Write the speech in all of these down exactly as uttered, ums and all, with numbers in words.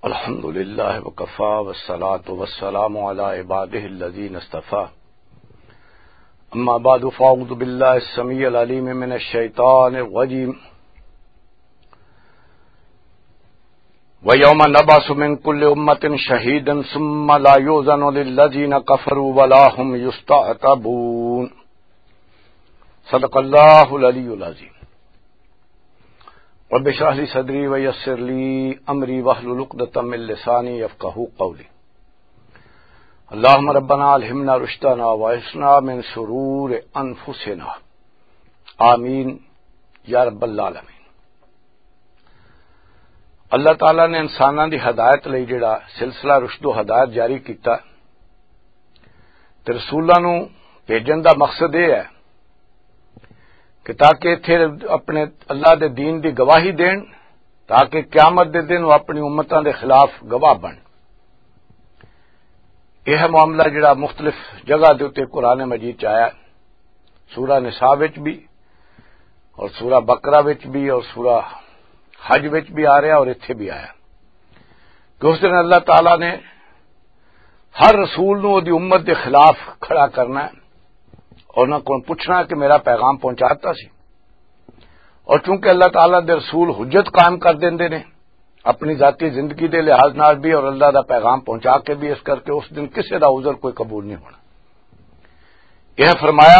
الحمد لله وكفى والصلاة والسلام على عباده الذين اصطفى. أما بعد، فأعوذ بالله السميع العليم من الشيطان الرجيم. ويوم نبعث من كل أمة شهيدا ثم لا يؤذن للذين كفروا ولا هم يستعتبون. صدق الله العلي العظيم. رب اشرح لي صدري ويسر لي أمري واحلل عقدة من لساني يفقهوا قولي. اللهم ربنا ألهمنا رشدنا وأعصمنا من شرور أنفسنا. آمين يا رب العالمين. اللہ تعالیٰ نے انساناں دی ہدایت لئی جڑا سلسلہ رشد و ہدایت جاری کیتا، تے رسولاں نوں بھیجن دا مقصد یہ ہے کہ تاکہ اتھے اپنے اللہ دے دین دی گواہی دین، تاکہ قیامت دے دن وہ اپنی امتاں دے خلاف گواہ بن۔ یہ معاملہ جڑا مختلف جگہ دے اُتے قرآن مجید چ آیا، سورہ نساء وچ بھی اور سورہ بقرہ وچ بھی اور سورہ حج وچ بھی آ رہا اور اتھے بھی آیا کہ اس دن اللہ تعالیٰ نے ہر رسول نوں دی امت دے خلاف کھڑا کرنا ہے اور انہاں کول پوچھنا کہ میرا پیغام پہنچاتا سی۔ اور چونکہ اللہ تعالیٰ دے رسول حجت قائم کر دیندے نے اپنی ذاتی زندگی دے لحاظ نال بھی اور اللہ دا پیغام پہنچا کے بھی، اس کر کے اس دن کسے دا عذر کوئی قبول نہیں ہونا۔ یہ فرمایا،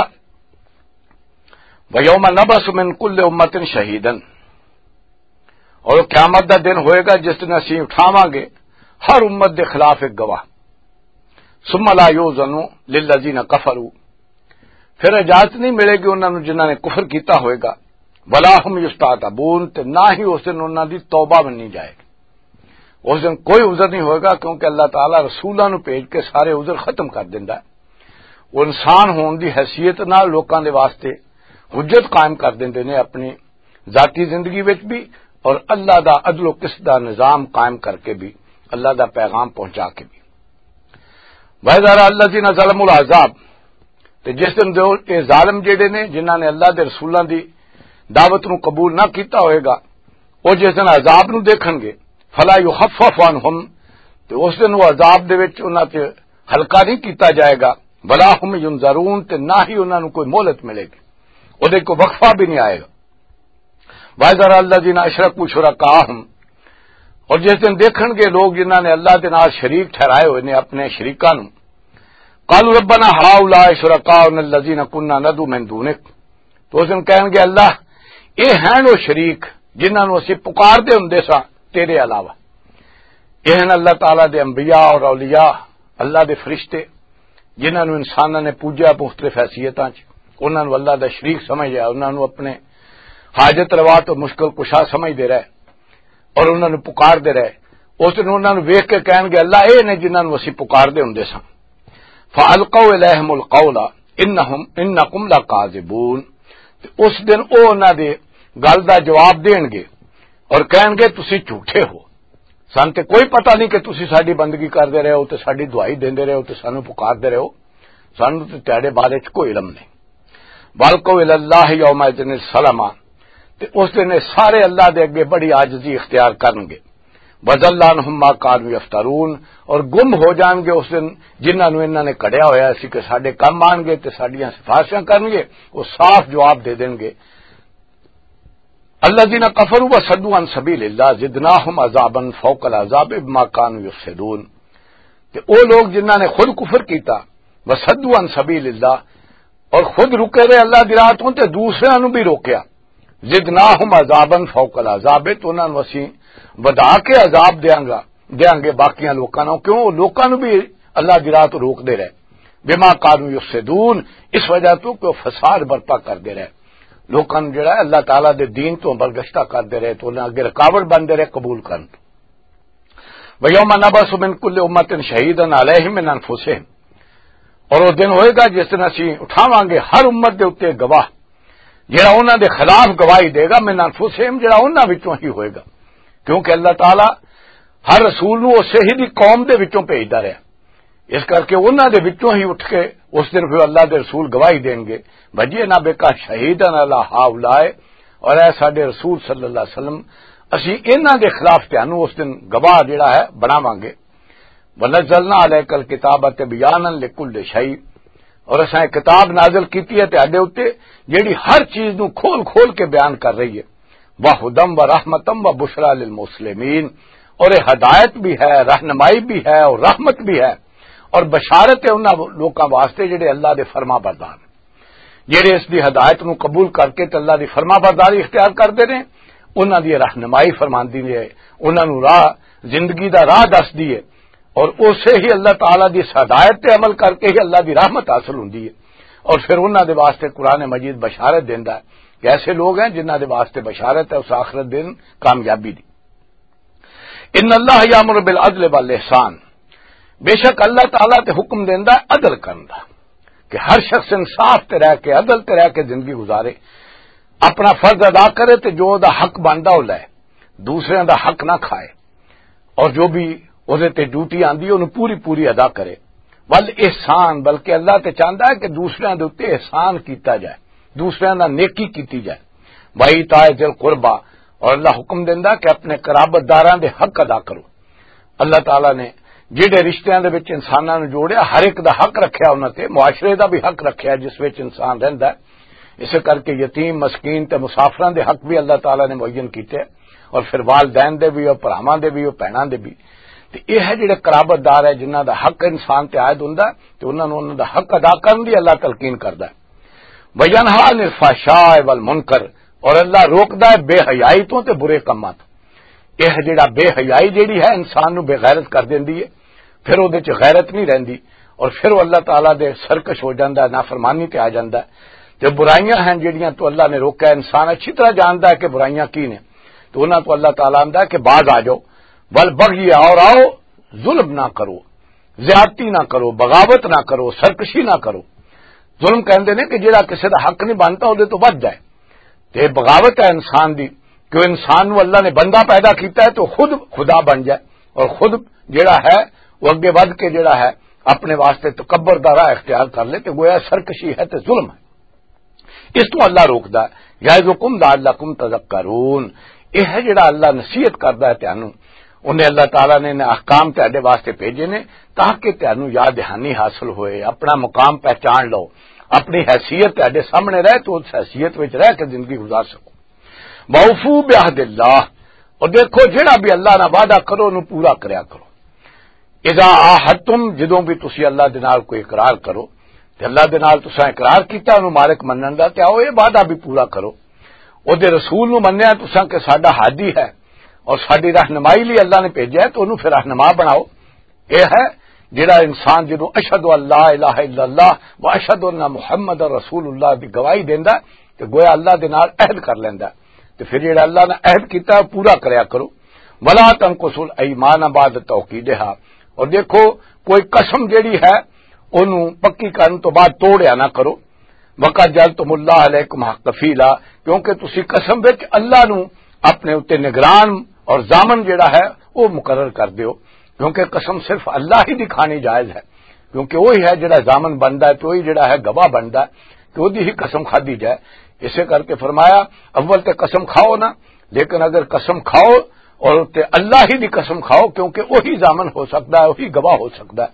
وَيَوْمَ نَبْعَثُ مِنْ كُلِّ أُمَّةٍ شَهِيدًا، اور وہ قیامت دا دن ہوئے گا جس دن اسی اٹھاواں گے ہر امت دے خلاف ایک گواہ۔ ثُمَّ لَا يُؤْذَنُ لِلَّذِينَ كَفَرُوا، پھر اجازت نہیں ملے گی انہاں نوں جنہاں نے کفر کیتا ہوئے گا۔ وَلَا هُمْ يُسْتَعْتَبُونَ، تے نہ ہی اس دن انہاں دی توبہ منی جائے گی۔ اس دن کوئی عذر نہیں ہوئے گا، کیونکہ اللہ تعالیٰ رسولاں نوں بھیج کے سارے عذر ختم کر دیندا ہے۔ وہ انسان ہون دی حیثیت نال لوکاں دے واسطے حجت قائم کر دیندے نے اپنی ذاتی زندگی وچ بھی اور اللہ دا عدل و قسط دا نظام قائم کر کے بھی، اللہ دا پیغام پہنچا کے بھی۔ وَإِذَا رَأَى الَّذِينَ ظَلَمُوا الْعَذَابَ، تے جس دن جو اے ظالم جڑے نے جنہاں نے اللہ دے رسولاں دی دعوت نوں قبول نہ کیتا ہوئے گا، او جس دن عذاب نوں دیکھن گے، فَلَا يُخَفَّفُ عَنْهُمْ، تے اس دن وہ عذاب دے وچ انہاں تے ہلکا نہیں کیتا جائے گا، وَلَا هُمْ يُنْظَرُونَ، تے نہ ہی انہاں نوں کوئی مہلت ملے گی، او دے کوئی وقفہ بھی نہیں آئے گا۔ وَإِذَا رَأَى الَّذِينَ أَشْرَكُوا شُرَكَاءَهُمْ، اور جس دن دیکھن گے لوگ جنہاں نے اللہ دے نال شریک ٹھہرائے ہوئے نے اپنے شریکاں نوں، قَالُوا رَبَّنَا هَٰؤُلَاءِ شُرَكَاؤُنَا الَّذِينَ كُنَّا نَدْعُو مِن دُونِكَ، تو اس دن کہن گے، اللہ، اے ہیں او شریک جنہاں نوں اسی پکار دے ہوندے ساں تیرے علاوہ۔ یہ ہیں اللہ تعالیٰ دے انبیاء اور اولیاء، اللہ دے فرشتے، جنہاں نوں انساناں نے پوجیا مختلف حیثیتاں چ، انہاں نوں اللہ دا شریک سمجھ لیا، انہاں نوں اپنے حاجت روا تو مشکل کشا سمجھ دے رہے اور انہاں نوں پکار دے رہے۔ اس نوں انہاں نوں ویکھ کے کہن گے، اللہ، اے نے جنہاں نوں اسی پکار دے ہوندے ساں۔ فَأَلْقَوْا إِلَيْهِمُ الْقَوْلَ إِنَّهُمْ إِنَّكُمْ لَكَاذِبُونَ، تے اس دن او انہاں دے گل دا جواب دین گے اور کہن گے، تسی جھوٹے ہو، سان تے کوئی پتہ نہیں کہ تسی ساڈی بندگی کردے رہے ہو تے ساڈی دعائی دیندے رہے ہو تے سانوں پکاردے رہے ہو، سانوں تے تہاڈے بارے چ کوئی علم نہیں۔ وَأَلْقَوْا إِلَى اللَّهِ يَوْمَئِذٍ السَّلَامَ، تے اس دن یہ سارے اللہ دے اگے بڑی عاجزی اختیار کرن گے۔ وَضَلَّ عَنْهُمْ مَا كَانُوا يَفْتَرُونَ، اور گم ہو جان گے اس دن جنہاں نوں انہاں نے کڑیا ہویا سی کہ ساڈے کم آن گے تے ساڈیاں سفارشاں کرن گے، وہ صاف جواب دے دین گے۔ الذين كفروا وصدوا عن سبيل الله زدناهم عذابا فوق العذاب بما كانوا يفسدون۔ تے او لوگ جنہاں نے خود کفر کیتا، وصدوا عن سبيل الله، اور خود رکے رہے اللہ دی راہ تو تے دوسرے نوں بھی روکیا، زدناهم عذابا فوق العذاب، تو انہاں نوں اسی ودھا کے عذاب دیاں گا، دیاں گے باقیاں لوکاں نوں۔ کیوں؟ او لوکاں نوں بھی اللہ دی راہ تو روک دے رہے، بما كانوا يفسدون، اس وجہ تو کہ وہ فساد برپا کر دے رہے۔ لوکاں نوں جڑا ہے اللہ تعالیٰ دے دین تو برگشتہ کردے رہے، تو انہاں اگے رکاوٹ بندے رہے قبول کرن تو۔ وَيَوْمَ نَبْعَثُ مِنْ كُلِّ أُمَّةٍ شَهِيدًا عَلَيْهِمْ مِنْ أَنْفُسِهِمْ، اور اس دن ہوئے گا جس دن اسی اٹھاواں گے ہر امت دے اُتے گواہ، جڑا انہاں دے خلاف گواہی دے گا، من انفسہم، جڑا انہاں وچوں ہی ہوئے گا، کیونکہ اللہ تعالیٰ ہر رسول نوں اسے ہی دی قوم دے وچوں بھیجدا رہیا۔ اس کر کے انہاں دے وچوں ہی اٹھ کے اس دن پھر اللہ دے رسول گواہی دین گے، "وجئنا بک شہیدا علی ہؤلاء"، اور اے ساڈے رسول صلی اللہ علیہ وسلم، اسی انہاں دے خلاف تانوں اس دن گواہ جڑا ہے بناواں گے۔ ونزلنا علیک الکتاب تبیانا لکل شیء، اور اساں ایک کتاب نازل کیتی ہے تہاڈے اُتے، جیڑی ہر چیز نوں کھول کھول کے بیان کر رہی ہے۔ وہدم و رحمتم و بشرا للمسلمین، اور یہ ہدایت بھی ہے، رہنمائی بھی ہے اور رحمت بھی ہے، اور بشارت ہے انہاں لوکاں واسطے جڑے اللہ دے فرما بردار نے، جڑے اس دی ہدایت نوں قبول کر کے تے اللہ دی فرما برداری اختیار کردے نے، انہاں دی رہنمائی فرماندی ہے، انہاں نوں راہ، زندگی دا راہ دسدی ہے، اور اسے ہی اللہ تعالیٰ دی اس ہدایت تے عمل کر کے ہی اللہ دی رحمت حاصل ہوندی ہے۔ اور پھر انہاں دے واسطے قرآن مجید بشارت دیندا ہے کہ ایسے لوگ ہیں جنہاں دے واسطے بشارت ہے اس آخرت دن کامیابی دی۔ ان اللہ یامر بالعدل والاحسان، بے شک اللہ تعالیٰ تے حکم دیندا ہے عدل کرن دا، کہ ہر شخص انصاف تے رہ کے، عدل تے رہ کے زندگی گزارے، اپنا فرض ادا کرے تے جو دا حق بندا او لے، دوسرے دا حق نہ کھائے، اور جو بھی اس تے ڈیوٹی آندی ہے انہوں پوری پوری ادا کرے۔ ول احسان، بلکہ اللہ تے چاہندا ہے کہ دوسرے دے اُتے احسان کیتا جائے، دوسرے دا نیکی کیتی جائے۔ وَإِيتَاءِ ذِي الْقُرْبَى، اور اللہ حکم دیندا کہ اپنے قرابت داراں دے حق ادا کرو۔ اللہ تعالیٰ نے جڑے رشتیاں دے وچ انساناں نوں جوڑیا، ہر ایک دا حق رکھیا انہاں تے، معاشرے دا بھی حق رکھیا جس وچ انسان رہندا ہے۔ اسے کر کے یتیم، مسکین تے مسافراں دے حق بھی اللہ تعالیٰ نے معین کیتے، اور پھر والدین دے بھی، اور بھراواں دے بھی، اور بھیناں دے بھی۔ تے یہ ہے جڑے قرابت دار ہے، جنہاں دا حق انسان تے عائد ہوندا ہے، تے انہاں نوں انہاں دا حق ادا کرن دی اللہ تلقین کردا ہے۔ وَيَنْهَىٰ عَنِ الْفَحْشَاءِ وَالْمُنْكَرِ، اور اللہ روکدا ہے بے حیائی تو تے برے کماں تو۔ یہ جڑا بے حیائی جڑی ہے، انسان نو بے غیرت کر دیندی ہے، پھر اودے چ غیرت نہیں رہندی، اور پھر وہ اللہ تعالیٰ دے سرکش ہو جاندا ہے، نافرمانی تے آ جاندا ہے۔ جو برائیاں ہیں جڑیاں تو اللہ نے روکا ہے، انسان اچھی طرح جاندا ہے کہ برائیاں کی نے، تو انہاں تو اللہ تعالیٰ آندا ہے کہ باز آ جاؤ، ول بغی، اور آؤ، ظلم نہ کرو، زیادتی نہ کرو، بغاوت نہ کرو، سرکشی نہ کرو۔ ظلم کہندے نے کہ جڑا کسے دا حق نہیں بنتا، اودے تو ودھ جائے۔ تے بغاوت ہے انسان دی، کہ وہ انسان نو اللہ نے بندہ پیدا کیتا ہے تو خود خدا بن جائے، اور خود جڑا ہے وہ اگے ودھ کے جڑا ہے اپنے واسطے تکبر دا راہ اختیار کر لے، تے گویا سرکشی ہے تے ظلم ہے۔ اس تو اللہ روکدا ہے۔ یعظکم لعلکم تذکرون، یہ ہے جڑا اللہ نصیحت کردا ہے تانوں۔ انہیں اللہ تعالیٰ نے انہیں احکام تہاڈے واسطے بھیجے نے تاکہ تانوں یاد دہانی حاصل ہوئے، اپنا مقام پہچان لو، اپنی حیثیت تہاڈے سامنے رہے تو اس حیثیت وچ رہ کے زندگی گزار سکو۔ وَأَوْفُوا بِعَهْدِ اللَّهِ، اور دیکھو جڑا بھی اللہ نال وعدہ کرو، انہوں پورا کریا کرو۔ اذا عاہدتم، جدوں بھی تسی اللہ دے نال کوئی اقرار کرو، تے اللہ دے نال تساں اقرار کیتا انہوں مالک منن دا، تے آؤ یہ وعدہ بھی پورا کرو۔ او دے رسول نو منیا تساں کہ ساڈا ہادی ہے اور ساڈی رہنمائی لئی اللہ نے بھیجا ہے، تو انہوں پھر رہنما بناؤ۔ یہ ہے جڑا انسان جدوں اشہد ان لا الہ الا اللہ و اشہد ان محمد رسول اللہ دی گواہی دیندا ہے، تے گویا اللہ دے نال عہد کر لیندا ہے۔ تے پھر جڑا اللہ نے عہد کیتا ہے، پورا کریا کرو۔ ولا تنقصوا الایمان بعد توکیدہا، اور دیکھو کوئی قسم جڑی ہے اونوں پکی کرن تو بعد توڑیا نہ کرو۔ وقد جعلتم اللہ علیکم کفیلا، کیونکہ تسی قسم وچ اللہ نو اپنے اُتے نگران اور ضامن جڑا ہے وہ مقرر کر دیو، کیونکہ قسم صرف اللہ ہی دی کھانی جائز ہے، کیونکہ وہی ہے جڑا ضامن بندا ہے، تو وہی جڑا ہے گواہ بندا ہے، تو وہی ہی قسم کھادی جائے۔ اسے کر کے فرمایا، اول تے قسم کھاؤ نا، لیکن اگر قسم کھاؤ اور تے اللہ ہی دی قسم کھاؤ، کیونکہ وہی ضامن ہو سکدا ہے، وہی گواہ ہو سکدا ہے۔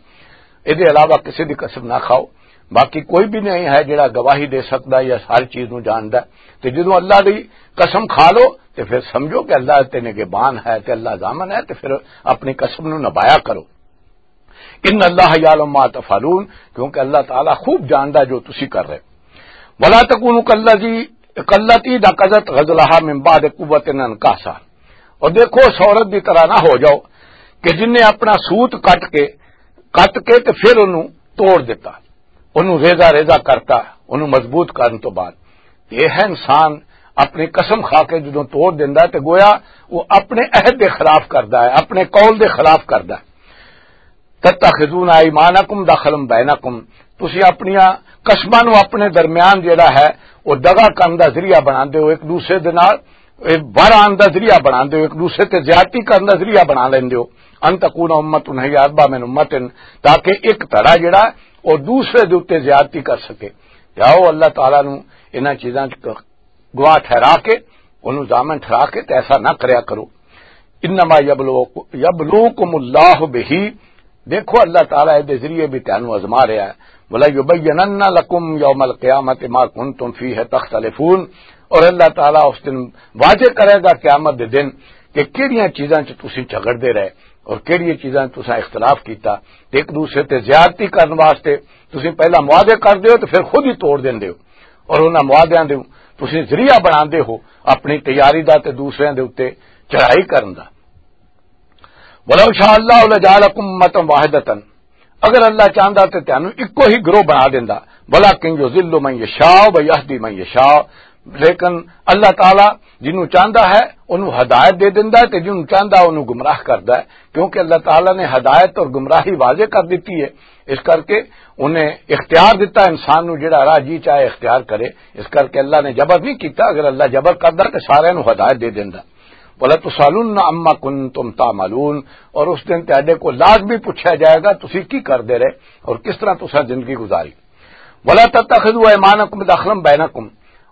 اے دے علاوہ کسی دی قسم نہ کھاؤ۔ باقی کوئی بھی نہیں ہے جڑا گواہی دے سکدا یا ہر چیز نو جاندا ہے۔ تے جدوں اللہ دی قسم کھا لو تے پھر سمجھو کہ اللہ تے نگہبان ہے تے اللہ ضامن ہے، تے پھر اپنی قسم نو نبھایا کرو۔ ان اللہ یعلم ما تفعلون، کیونکہ اللہ تعالیٰ خوب جاندا جو تسی کر رہے۔ ولا تکونوا کالذی، کالتی نقضت غزلہا من بعد قوۃ انکاثا، اور دیکھو اس عورت دی طرح نہ ہو جاؤ کہ جن نے اپنا سوت کٹ کے، کٹ کے تے پھر انہوں توڑ دیتا، انہوں ریزہ ریزہ کرتا، انہوں مضبوط کرن تو بعد۔ یہ ہے انسان اپنی قسم کھا کے جدوں توڑ دیندا ہے تے گویا وہ اپنے عہد دے خلاف کردا ہے، اپنے قول دے خلاف کردا ہے۔ تتخذون ایمانکم دخلا بینکم، تسی اپنیاں قسماں نو اپنے درمیان جڑا ہے وہ دغا کرن دا ذریعہ بناندے ہو، ایک دوسرے دے نال، اے، بر آن دا ذریعہ بناندے ہو، ایک دوسرے تے زیادتی کرن دا ذریعہ بنا لیندے ہو۔ ان تکون امۃ ہی اربا من امۃ، تاکہ ایک دھڑا جڑا ہے وہ دوسرے دے اُتے زیادتی کر سکے۔ جاؤ اللہ تعالیٰ نو انہاں چیزاں چ گواہ ٹھہرا کے، انہوں ضامن ٹھہرا کے تے ایسا نہ کریا کرو۔ انما یبلوک-، یبلوکم اللہ بہ، دیکھو اللہ تعالیٰ دے ذریعے بھی تانوں آزما رہا ہے۔ ولا یبینن لکم یوم القیامت ما کنتم فیہ تختلفون، اور اللہ تعالیٰ اس دن واضح کرے گا قیامت دے دن کہ کہڑیاں چیزاں چ تسی جھگڑدے رہے اور کہڑیاں چیزاں چ تساں اختلاف کیتا، تے ایک دوسرے تے زیادتی کرن واسطے تسی پہلا معاہدے کردے ہو تے پھر خود ہی توڑ دیندے ہو، اور انہاں معاہدیاں دے تسی ذریعہ بناندے ہو اپنی تیاری دا تے دوسرے دے اُتے چڑھائی کرن دا۔ ولو شاء اللہ لجعلکم امة واحدۃ، اگر اللہ چاہندا تے تانوں اکو ہی گروہ بنا دیندا۔ ولکن یذل من یشاء و یہدی من یشاء، لیکن اللہ تعالیٰ جنوں چاہندا ہے انہوں ہدایت دے دیندا ہے تے جنوں چاہندا انہوں گمراہ کردا ہے، کیونکہ اللہ تعالیٰ نے ہدایت اور گمراہی واضح کر دتی ہے۔ اس کر کے انہیں اختیار دتا انسان نوں، جڑا راہ جی چاہے اختیار کرے۔ اس کر کے اللہ نے جبر نہیں کیتا، اگر اللہ جبر کردا تے سارے نوں ہدایت دے دیندا۔ وَلَتُسْأَلُنَّ عَمَّا كُنتُمْ تَعْمَلُونَ، اور اس دن تہاڈے کو لازمی پوچھا جائے گا تسی کی کردے رہے اور کس طرح تساں زندگی گزاری۔ وَلَا تَتَّخِذُوا أَيْمَانَكُمْ دَخْلًا بَيْنَكُمْ،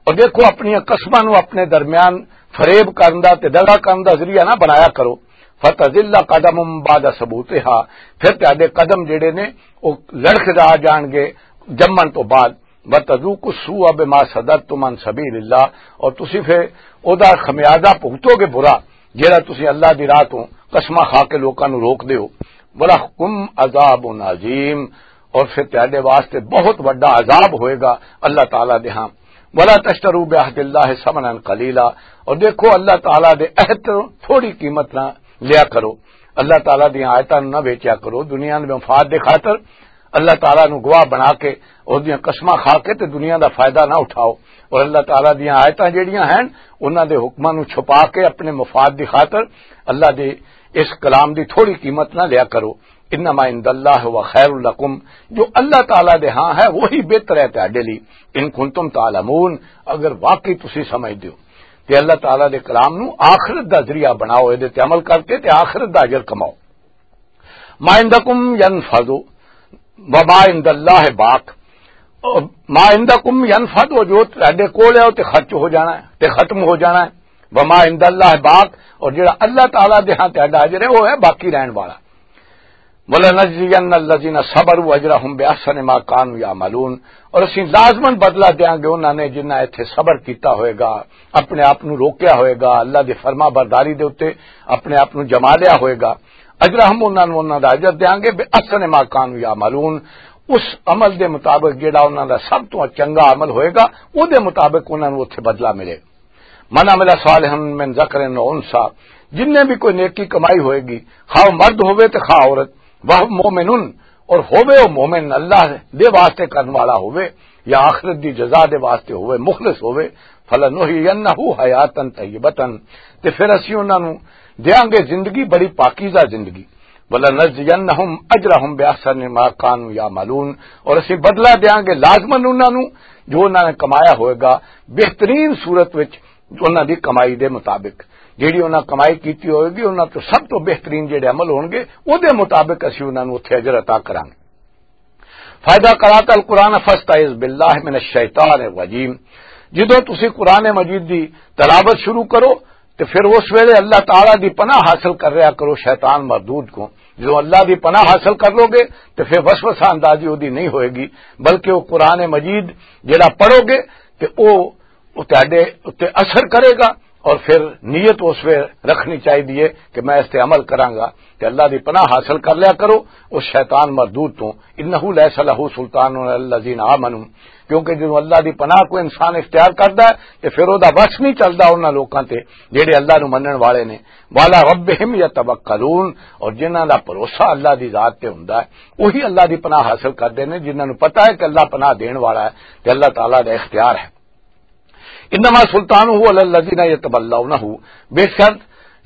اور دیکھو اپنی قسماں نو اپنے درمیان فریب کرن دا تے دغا کرن دا ذریعہ نہ بنایا کرو۔ فَتَزِلَّ قَدَمٌ بَعْدَ ثُبُوتِهَا، پھر تہاڈے قدم جڑے نے او لڑکھ جا جان گے جمن تو بعد۔ وَتَذُوقُوا السُّوءَ بِمَا صَدَدتُّمْ عَن سَبِيلِ اللَّهِ، اور تسی پھر او دا خمیازہ بھگتو گے برا، جڑا تسی اللہ دی راہ تو قسماں کھا کے لوکاں نو روک دیو۔ وَلَكُمْ عَذَابٌ عَظِيمٌ، اور پھر تہاڈے واسطے بہت وڈا عذاب ہوئے گا اللہ تعالیٰ دے ہاں۔ وَلَا تَشْتَرُوا بِعَهْدِ اللَّهِ ثَمَنًا قَلِيلًا، اور دیکھو اللہ تعالیٰ دے عہد تو تھوڑی قیمت نہ لیا کرو، اللہ تعالیٰ دیاں آیتاں نہ ویچیا کرو دنیا دے مفاد دے خاطر۔ اللہ تعالیٰ نو گواہ بنا کے، اس دیاں قسماں کھا کے تے دنیا دا فائدہ نہ اٹھاؤ، اور اللہ تعالیٰ دیاں آیتاں جڑیاں ہیں انہاں دے حکماں نو چھپا کے اپنے مفاد دی خاطر اللہ دے اس کلام دی تھوڑی قیمت نہ لیا کرو۔ انما عند اللہ هو خیر لکم، جو اللہ تعالیٰ دے ہاں ہے وہی بہتر ہے تہاڈے لئی۔ ان کنتم تعلمون، اگر واقعی تسی سمجھ دیو۔ تے اللہ تعالیٰ دے کلام نو آخرت دا ذریعہ بناؤ، اے دے تے عمل کر کے تے آخرت دا اجر کماؤ۔ ما عندکم ینفد، وما عند اللہ باق۔ اور ما عندکم ینفد، وہ جو تہاڈے کول ہے، وہ تے خرچ ہو جانا ہے، تے ختم ہو جانا ہے۔ وما عند اللہ باق، اور جڑا اللہ تعالیٰ دے ہاں تہاڈا اجر ہے، وہ ہے باقی رہن والا۔ وَلَنَجْزِيَنَّ الَّذِينَ صَبَرُوا أَجْرَهُمْ بِأَحْسَنِ مَا كَانُوا يَعْمَلُونَ، اور اسی لازماً بدلہ دیاں گے انہاں نے جنہاں ایتھے صبر کیتا ہوئے گا، اپنے آپ نو روکیا ہوئے گا، اللہ دی فرما برداری دے اُتے اپنے آپ نو جما لیا ہوئے گا۔ اجرہم، انہاں نوں انہاں دا اجر دیاں گے، بِأَحْسَنِ مَا كَانُوا يَعْمَلُونَ، اس عمل دے مطابق جڑا انہاں دا سب تو چنگا عمل ہوئے گا، او دے مطابق انہاں نوں اوتھے بدلہ ملے گا۔ من عمل صالحا من ذکر و انثی، جن نے بھی کوئی نیکی کمائی ہوئے گی، خواہ وہ مرد ہوئے تے خواہ عورت، وہ مومن، اور ہوئے وہ مومن، اللہ دے واسطے کرن والا ہوئے یا آخرت دی جزا دے واسطے ہوئے، مخلص ہوئے، فلنحیینہ حیاتا طیبتا، تے پھر اسی انہاں نوں دیاں گے زندگی، بڑی پاکیزہ زندگی۔ وَلَنَجْزِيَنَّهُمْ أَجْرَهُمْ بِأَحْسَنِ مَا كَانُوا يَعْمَلُونَ، اور اسی بدلہ دیاں گے لازماً انہاں نوں جو انہاں نے کمایا ہوئے گا بہترین صورت وچ، انہاں دی کمائی دے مطابق۔ جیڑی انہاں کمائی کیتی ہوئے گی، انہاں تو سب تو بہترین جیڑے عمل ہون گے، او دے مطابق اسی انہاں نوں اتھے اجر عطا کران گے۔ فَإِذَا قَرَأْتَ الْقُرْآنَ فَاسْتَعِذْ بِاللَّهِ مِنَ الشَّيْطَانِ الرَّجِيمِ۔ جدوں تسی قرآن مجید دی تلاوت شروع کرو، تے پھر اس ویلے اللہ تعالیٰ دی پناہ حاصل کر رہا کرو شیطان مردود کو۔ جدوں اللہ دی پناہ حاصل کر لو گے، تے پھر وسوسہ اندازی اودی نہیں ہوئے گی، بلکہ وہ قرآن مجید جڑا پڑھو گے، تے او، او تہاڈے اُتے اثر کرے گا، اور پھر نیت اس ویلے رکھنی چاہیے کہ میں اس تے عمل کراں گا۔ تے اللہ دی پناہ حاصل کر لیا کرو اس شیطان مردود تو۔ انہ لیس لہ سلطان علی الذین آمنوا، کیونکہ جدوں اللہ دی پناہ کوئی انسان اختیار کردا ہے تے پھر او دا وس نہیں چلدا انہاں لوکاں تے جڑے اللہ نوں منن والے نے۔ وعلی ربہم یتوکلون، اور جنہاں دا بھروسہ اللہ دی ذات تے ہوندا ہے، وہی اللہ دی پناہ حاصل کردے نے، جنہاں نوں پتہ ہے کہ اللہ پناہ دین والا ہے تے اللہ تعالیٰ دا اختیار ہے۔ انما سلطانہ علی الذین یتولونہ، بے شک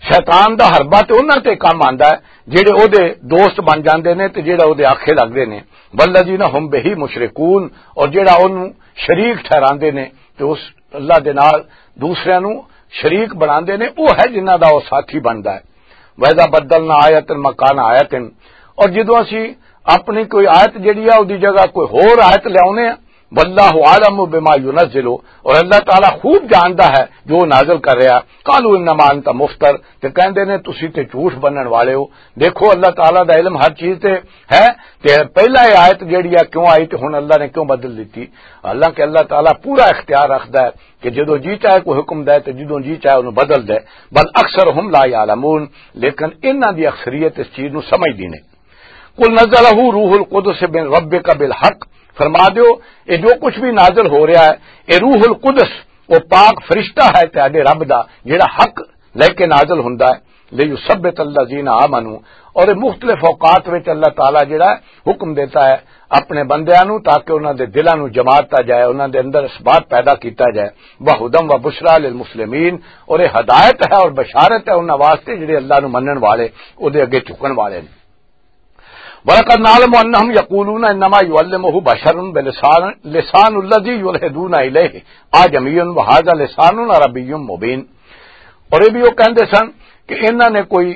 شیطان دا حربہ تے انہاں تے کم آندا ہے جڑے او دے دوست بن جاندے نے تے جڑا او دے آکھے لگدے نے۔ والذین هم بہ مشرکون، اور جڑا اونوں شریک ٹھہراندے نے تے اس اللہ دے نال دوسرے نوں شریک بناندے نے، او ہے جنہاں دا او ساتھی بندا ہے۔ وَإِذَا بَدَّلْنَا آيَةً مَكَانَ آيَةٍ، اور جدوں اسی اپنی کوئی آیت جڑی ہے، اودی جگہ کوئی ہور آیت لیاونے ہیں، واللہ عالم بما ینزل، اور اللہ تعالیٰ خوب جاندا ہے جو نازل کر رہا۔ قالوا انما انت مفتر، تے کہندے نے تسی تے جھوٹ بنن والے ہو۔ دیکھو، اللہ تعالیٰ دا علم ہر چیز تے ہے۔ تے پہلا یہ آیت جیڑی ہے کیوں آئی تے ہن اللہ نے کیوں بدل دتی؟ حالانکہ اللہ تعالیٰ پورا اختیار رکھدا ہے کہ جدوں جی چاہے کوئی حکم دے تے جدوں جی چاہے انہوں بدل دے۔ بل اکثرهم لا یعلمون، لیکن انہاں دی اکثریت اس چیز نو سمجھدی نہیں۔ قل نزلہ روح القدس من ربک بالحق، فرما دیو، یہ جو کچھ بھی نازل ہو رہا ہے، یہ روح القدس، وہ پاک فرشتہ ہے تہاڈے رب دا، جڑا حق لے کے نازل ہوندا ہے۔ لیثبت الذین آمنوا، اور یہ مختلف اوقات وچ اللہ تعالیٰ جڑا ہے حکم دیتا ہے اپنے بندیاں نو، تاکہ انہاں دے دلاں نو جماتا جائے، انہاں دے اندر اثبات پیدا کیتا جائے۔ وہدی و بشریٰ للمسلمین، اور یہ ہدایت ہے اور بشارت ہے انہاں واسطے جڑے اللہ نو منن والے، او دے اگے جھکن والے نے۔ وَلَقَدْ نَعْلَمُ أَنَّهُمْ يَقُولُونَ إِنَّمَا يُعَلِّمُهُ بَشَرٌ بِلِسَانٍ، لِسَانُ الَّذِي يُلْحِدُونَ إِلَيْهِ أَعْجَمِيٌّ وَهَذَا لِسَانٌ عَرَبِيٌّ مُّبِينٌ۔ اور یہ بھی وہ کہندے سن کہ انہاں نے کوئی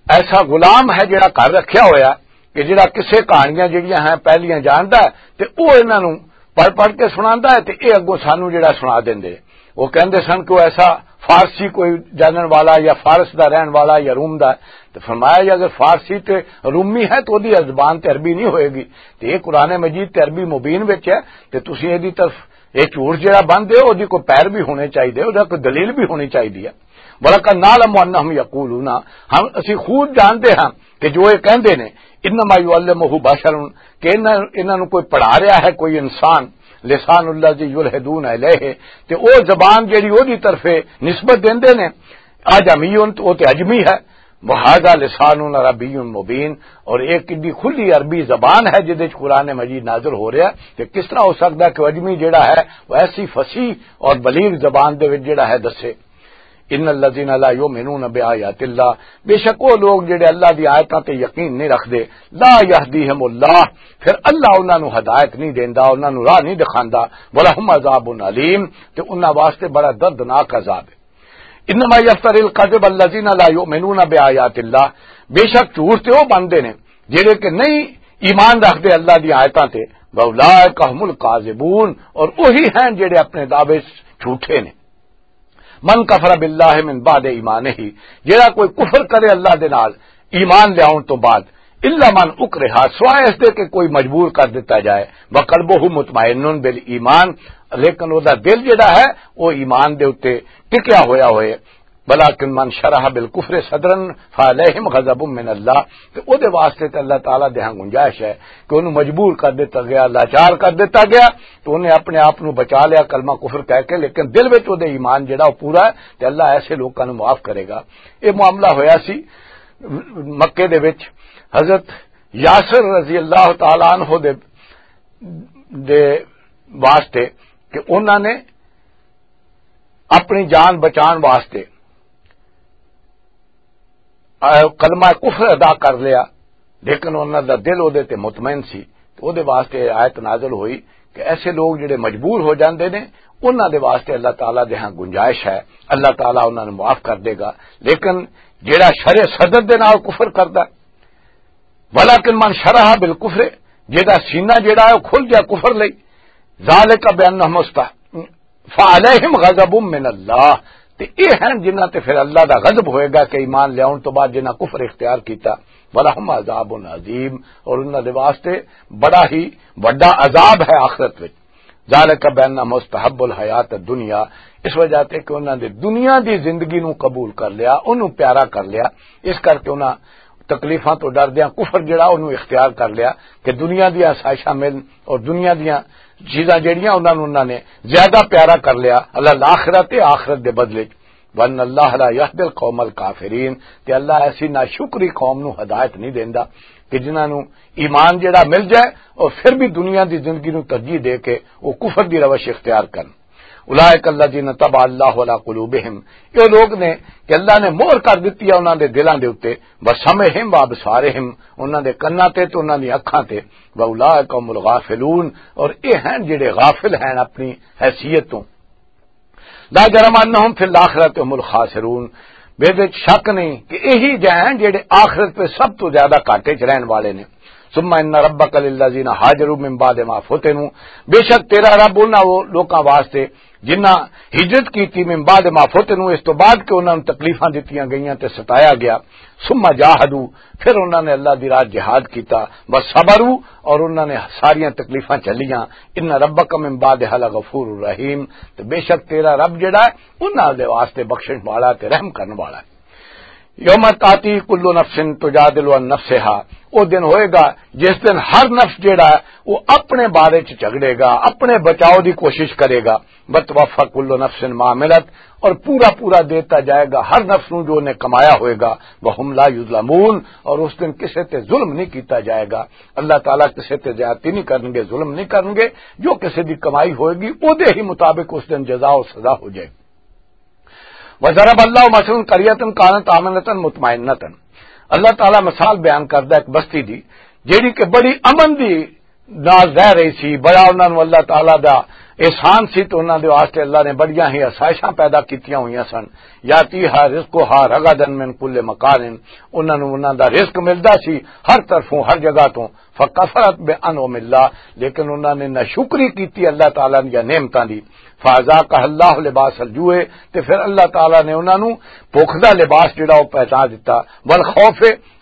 ایسا غلام ہے جڑا گھر رکھیا ہویا، کہ جڑا کسے کہانیاں جڑیاں ہیں پہلیاں جاندا ہے، تے او انہاں نوں پڑھ پڑھ کے سناندا ہے، تے اے اگوں سانوں جڑا سنا دیندے۔ وہ کہندے سن کہ وہ ایسا فارسی کوئی جانن والا یا فارس دا رہن والا یا روم دا ہے۔ تے فرمایا، جے اگر فارسی تے رومی ہے تو دی زبان تے عربی نہیں ہوئے گی۔ تے یہ قرآن مجید تے عربی مبین وچ ہے، تے تسی اے دی طرف، اے جھوٹ جڑا بندے ہو، او دی کوئی پیر بھی ہونے چاہیے، او دا کوئی دلیل بھی ہونی چاہیے ہے۔ وَلَقَدْ نَعْلَمُ أَنَّهُمْ يَقُولُونَ، ہم، اسی خوب جانتے ہیں کہ جو یہ کہندے نے، انما یعلمہ بشر، کہ انہاں، انہاں نوں کوئی پڑھا رہا ہے، کوئی انسان، لسان الذی یلحدون الیہ، تے او زبان جڑی او دی طرفے نسبت دیندے نے، اعجمی، تو او تے عجمی ہے، وہذا لسان عربی مبین، اور ایک اتنی کھلی عربی زبان ہے جدے وچ قرآن مجید نازل ہو رہا ہے، تے کس طرح ہو سکتا ہے کہ عجمی جڑا ہے وہ ایسی فصیح اور بلیغ زبان دے وچ جڑا ہے دسے؟ ان الذین لا یؤمنون بآیات اللہ، بے شک وہ لوگ جڑے اللہ دی آیتاں تے یقین نہیں رکھدے، لا یہدیہم اللہ، پھر اللہ انہاں نوں ہدایت نہیں دیندا، انہاں نوں راہ نہیں دکھاندا، ولہم عذاب علیم، تے انہاں واسطے بڑا دردناک عذاب ہے۔ انما یفتر الکذب الذین لا یؤمنون بآیات اللہ، بے شک جھوٹ تے وہ بندے نے جڑے کہ نہیں ایمان رکھدے اللہ دی آیتاں تے، واولئک هم الکاذبون، اور وہی ہیں جڑے اپنے دعوے جھوٹے نے۔ من کفر باللہ من بعد ایمانہ، جڑا کوئی کفر کرے اللہ دے نال ایمان لیاون تو بعد، الا من اکرہ، سوائے اس دے کہ کوئی مجبور کر دیتا جائے، وقلبہ مطمئن بالایمان، لیکن او دا دل جڑا ہے وہ ایمان دے اُتے ٹکیا ہویا ہوئے۔ ولکن من شرح بالکفر صدرا فعلیہم غضب من اللہ، تے او دے واسطے تے اللہ تعالیٰ دے ہاں گنجائش ہے کہ انہوں مجبور کر دیتا گیا، لاچار کر دیتا گیا، تو انہیں اپنے آپ نو بچا لیا کلمہ کفر کہہ کے، لیکن دل وچ او دے ایمان جڑا وہ پورا ہے، تے اللہ ایسے لوکاں نو معاف کرے گا۔ یہ معاملہ ہویا سی مکے دے وچ حضرت یاسر رضی اللہ تعالیٰ عنہ دے، دے واسطے کہ انہاں نے اپنی جان بچان واسطے، آ، کلمہ کفر ادا کر لیا، لیکن انہاں دا دل او دے تے مطمئن سی۔ تے او دے واسطے آیت نازل ہوئی کہ ایسے لوگ جڑے مجبور ہو جاندے نے، انہاں دے واسطے اللہ تعالیٰ دے ہاں گنجائش ہے، اللہ تعالیٰ انہاں نوں معاف کر دے گا۔ لیکن جڑا شرع صدر دے نال کفر کردا، ولکن من شرح بالکفر، جدا سینہ جڑا ہے وہ کھل گیا کفر لئی، ذالک بانہم استح-، فعلیہم غضب من اللہ، تے یہ ہیں جنہاں تے پھر اللہ دا غضب ہوئے گا کہ ایمان لیاون تو بعد جنہاں کفر اختیار کیتا، ولہم عذاب عظیم، اور انہاں دے واسطے بڑا ہی وڈا عذاب ہے آخرت وچ۔ ذالک بانہم استحب الحیات الدنیا، اس وجہ تے کہ انہاں نے دنیا دی زندگی نو قبول کر لیا، انہوں پیارا کر لیا، اس کر کے انہاں تکلیفاں تو ڈردیاں کفر جڑا انہوں اختیار کر لیا کہ دنیا دیاں آسائشاں ملن اور دنیا دیاں چیزاں جڑیاں انہاں نوں انہاں نے زیادہ پیارا کر لیا، اللہ الآخرت، آخرت دے بدلے۔ وَأَنَّ اللَّهَ لَا يَهْدِي الْقَوْمَ الْكَافِرِينَ، تے اللہ ایسی ناشکری قوم نو ہدایت نہیں دیندا کہ جنہاں نو ایمان جڑا مل جائے اور پھر بھی دنیا دی زندگی نو ترجیح دے کے وہ کفر دی روش اختیار کرن۔ اولئک الذین طبع اللہ علی قلوبہم، یہ لوگ نے کہ اللہ نے مہر کر دتی ہے انہاں دے دلاں دے اُتے، وسمعہم وابصارہم، انہاں دے کناں تے تے انہاں دی اکھاں تے، واولئک هم الغافلون، اور یہ ہیں جڑے غافل ہیں اپنی حیثیت تو۔ لا جرم انہم فی الاخرۃ هم الخاسرون، بے وچ شک نہیں کہ یہی جے ہیں جڑے آخرت پہ سب تو زیادہ گھاٹے چ رہن والے نے۔ ثم ان ربک للذین هاجروا من بعد ما فتنوا، بے شک تیرا رب انہاں وہ لوکاں واسطے جنہاں ہجرت کیتی، من بعد ما فتنوا، اس تو بعد کہ انہاں نوں تکلیفاں دتیاں گئیاں تے ستایا گیا، ثم جاہدوا، پھر انہاں نے اللہ دی راہ جہاد کیتا، وصبروا، اور انہاں نے ساریاں تکلیفاں جھلیاں، ان ربک من بعدها لغفور رحیم، تے بے شک تیرا رب جڑا ہے انہاں دے واسطے بخشش والا تے رحم کرن والا ہے۔ یوم تاتی کل نفس تجادل عن نفسها، او دن ہوئے گا جس دن ہر نفس جیڑا ہے وہ اپنے بارے چ جھگڑے گا، اپنے بچاؤ دی کوشش کرے گا۔ وتوفى كل نفس ما عملت، اور پورا پورا دیتا جائے گا ہر نفس نو جو نے کمایا ہوئے گا۔ وهم لا يظلمون، اور اس دن کسے تے ظلم نہیں کیتا جائے گا۔ اللہ تعالیٰ کسے تے زیادتی نہیں کرنگے، ظلم نہیں کرنگے۔ جو کسے دی کمائی ہوئے گی، او دے ہی مطابق اس دن جزا اور سزا ہو جائے گی۔ وضرب اللہ مثلا قریۃ کانت آمنۃ مطمئنۃ۔ اللہ تعالیٰ مثال بیان کردا ایک بستی دی، جیڑی کہ بڑی امن دی نال رہ رہی سی، بڑا انہاں نوں اللہ تعالیٰ دا احسان سی، تو انہاں دے واسطے اللہ نے بڑیاں ہی آسائشاں پیدا کیتیاں ہوئیاں سن۔ یاتیہا رزقہا رغدا من کل مکان، انہاں نوں انہاں دا رزق ملدا سی ہر طرفوں، ہر جگہ تو۔ فکفرت بانعم اللہ، لیکن انہاں نے ناشکری کیتی اللہ تعالیٰ دیاں نعمتاں دی۔ فاذاقہا اللہ لباس الجوع، تے پھر اللہ تعالیٰ نے انہاں نوں بھوک دا لباس جڑا او پہنا دتا، والخوف،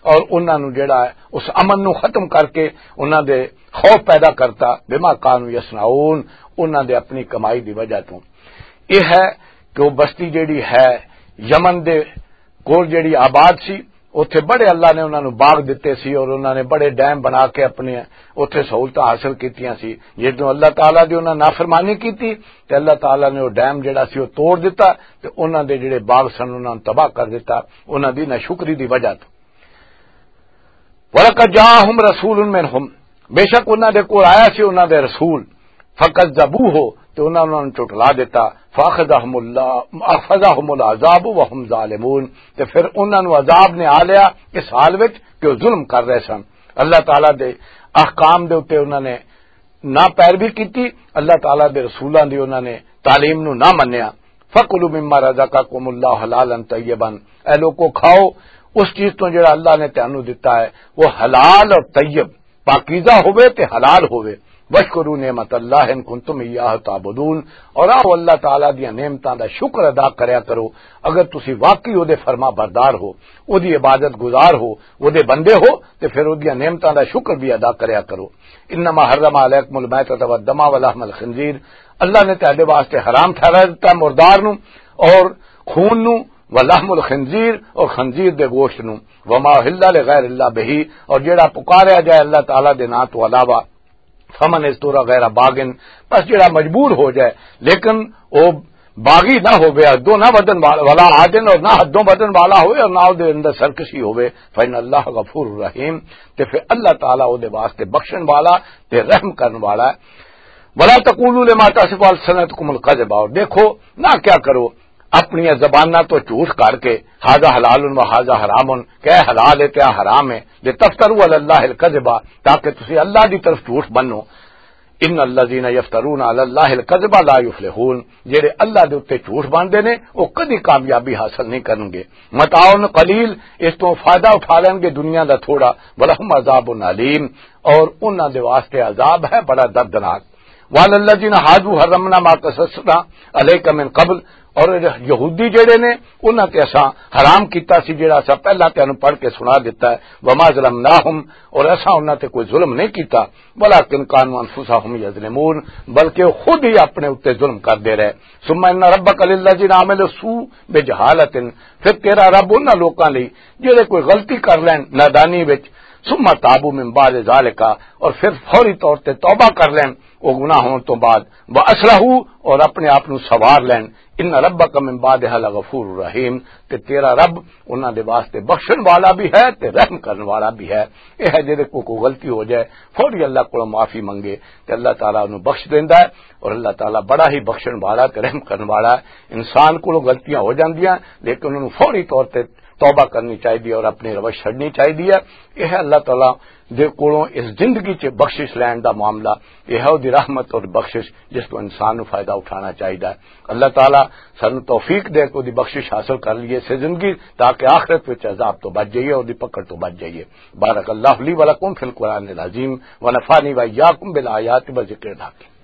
اور انہاں نوں جڑا ہے اس امن نوں ختم کر کے انہاں دے خوف پیدا کرتا، بما کانوا یصنعون، انہاں دے اپنی کمائی دی وجہ تو۔ یہ ہے کہ وہ بستی جڑی ہے یمن دے کول جڑی آباد سی، اوتھے بڑے اللہ نے انہاں نوں باغ دتے سی اور انہاں نے بڑے ڈیم بنا کے اپنے اوتھے سہولتاں حاصل کیتیاں سی۔ جدوں اللہ تعالیٰ دی انہاں نافرمانی کیتی تے اللہ تعالیٰ نے وہ ڈیم جڑا سی وہ توڑ دتا تے انہاں دے جڑے باغ سن انہاں نوں تباہ کر دتا، انہاں دی ناشکری دی وجہ تو۔ وَلَقَدْ جَاءَهُمْ رَسُولٌ مِّنْهُمْ، بے شک انہاں دے کول آیا سی انہاں دے رسول، فَكَذَّبُوهُ، تے انہاں نوں جھٹلا دتا، فَأَخَذَهُمُ اللَّهُ، أَخَذَهُمُ الْعَذَابُ وَهُمْ ظَالِمُونَ، تے پھر انہاں نوں عذاب نے آ لیا اس حال وچ کہ وہ ظلم کر رہے سن۔ اللہ تعالیٰ دے احکام دے اُتے انہاں نے نہ پیروی کیتی، اللہ تعالیٰ دے رسولاں دی انہاں نے تعلیم نوں نہ منیا۔ فَكُلُوا مِمَّا رَزَقَكُمُ اللَّهُ حَلَالًا طَيِّبًا، اے لوکو، کھاؤ اس چیز تو جڑا اللہ نے تانوں دتا ہے، وہ حلال اور طیب، پاکیزہ ہوے تے حلال ہوے۔ وَاشْكُرُوا نِعْمَتَ اللَّهِ إِن كُنتُمْ إِيَّاهُ تَعْبُدُونَ، اور آؤ اللہ تعالیٰ دیاں نعمتاں دا شکر ادا کریا کرو اگر تسی واقعی او دے فرما بردار ہو، او دی عبادت گزار ہو، او دے بندے ہو، تے پھر او دیاں نعمتاں دا شکر بھی ادا کریا کرو۔ انما حرم علیکم المیتۃ والدم ولحم الخنزیر، اللہ نے تہاڈے واسطے حرام ٹھہرا دتا مردار نو اور خون نو، ولحم الخنزیر، اور خنزیر دے گوشت نو، وما اہل لغیر اللہ بہ، اور جیڑا پکاریا جائے اللہ تعالیٰ دے نام تو علاوہ، فمن اضطر غیر باغ، بس جڑا مجبور ہو جائے، لیکن وہ باغی نہ ہوے، حدوں نہ ودن والا، ولا عادن، اور نہ حدوں ودن والا ہوے اور نہ دے اندر سرکشی ہوے، فإن اللہ غفور رحیم، تے پھر اللہ تعالیٰ او دے واسطے بخشن والا تے رحم کرن والا ہے۔ ولا تقولوا لما تصف السنتکم الکذب، اور دیکھو نہ کیا کرو اپنی زباناں تو جھوٹ کر کے، ھذا حلال و ھذا حرام، کہ اے حلال ہے تے اے حرام ہے، لتفتروا علی اللہ الکذب، تاکہ تسی اللہ دی طرف جھوٹ بنو۔ ان الذین یفترون علی اللہ الکذب لا یفلحون، جڑے اللہ دے اوتے جھوٹ باندھے نے، او کدی کامیابی حاصل نہیں کرن گے۔ متاع قلیل، اس تو فائدہ اٹھا لین گے دنیا دا تھوڑا، ولہم عذاب علیم، اور انہاں دے واسطے عذاب ہے بڑا دردناک۔ وعلی الذین ھادوا حرمنا ما قصصنا علیک من قبل، اور یہودی جڑے نے، انہاں تے اساں حرام کیتا سی جڑا اساں پہلا تینوں پڑھ کے سنا دیتا ہے، وما ظلمناہم، اور اساں انہاں تے کوئی ظلم نہیں کیتا، ولکن کانوا انفسہم یظلمون، بلکہ وہ خود ہی اپنے اُتے ظلم کردے رہے۔ ثم ان ربک للذین عملوا السوء بجہالۃ، پھر تیرا رب انہاں لوکاں لئی جڑے کوئی غلطی کر لین نادانی وچ، ثم تابوا من بعد ذالک، اور پھر فوری طور تے توبہ کر لین او گناہ ہون تو بعد، واصلحوا، اور اپنے آپ نو سوار لین، ان ربک من بعدها لغفور رحیم، تے تیرا رب انہاں دے واسطے بخشن والا بھی ہے تے رحم کرن والا بھی ہے۔ یہ ہے جڑے کو کوئی غلطی ہو جائے، فوری اللہ کو معافی منگے تے اللہ تعالیٰ انہوں بخش دیندا ہے، اور اللہ تعالیٰ بڑا ہی بخشن والا تے رحم کرن والا ہے۔ انسان کو غلطیاں ہو جاندیاں، لیکن انہوں فوری طور تے توبہ کرنی چاہیے اور اپنی روش چھڈنی چاہیے۔ یہ ہے اللہ تعالیٰ دے کولوں اس زندگی چ بخشش لین دا معاملہ، یہ ہے وہ رحمت اور بخشش جس کو انسان نوں فائدہ اٹھانا چاہیے۔ اللہ تعالیٰ سانوں توفیق دے کہ وہ بخشش حاصل کر لیے سے زندگی، تاکہ آخرت وچ عذاب تو بچ جائیے اور دی پکڑ تو بچ جائیے۔ بارک اللہ لی ولکم فی القرآن العظیم، ونفعنی و ایاکم بالآیات و ذکر الحکیم۔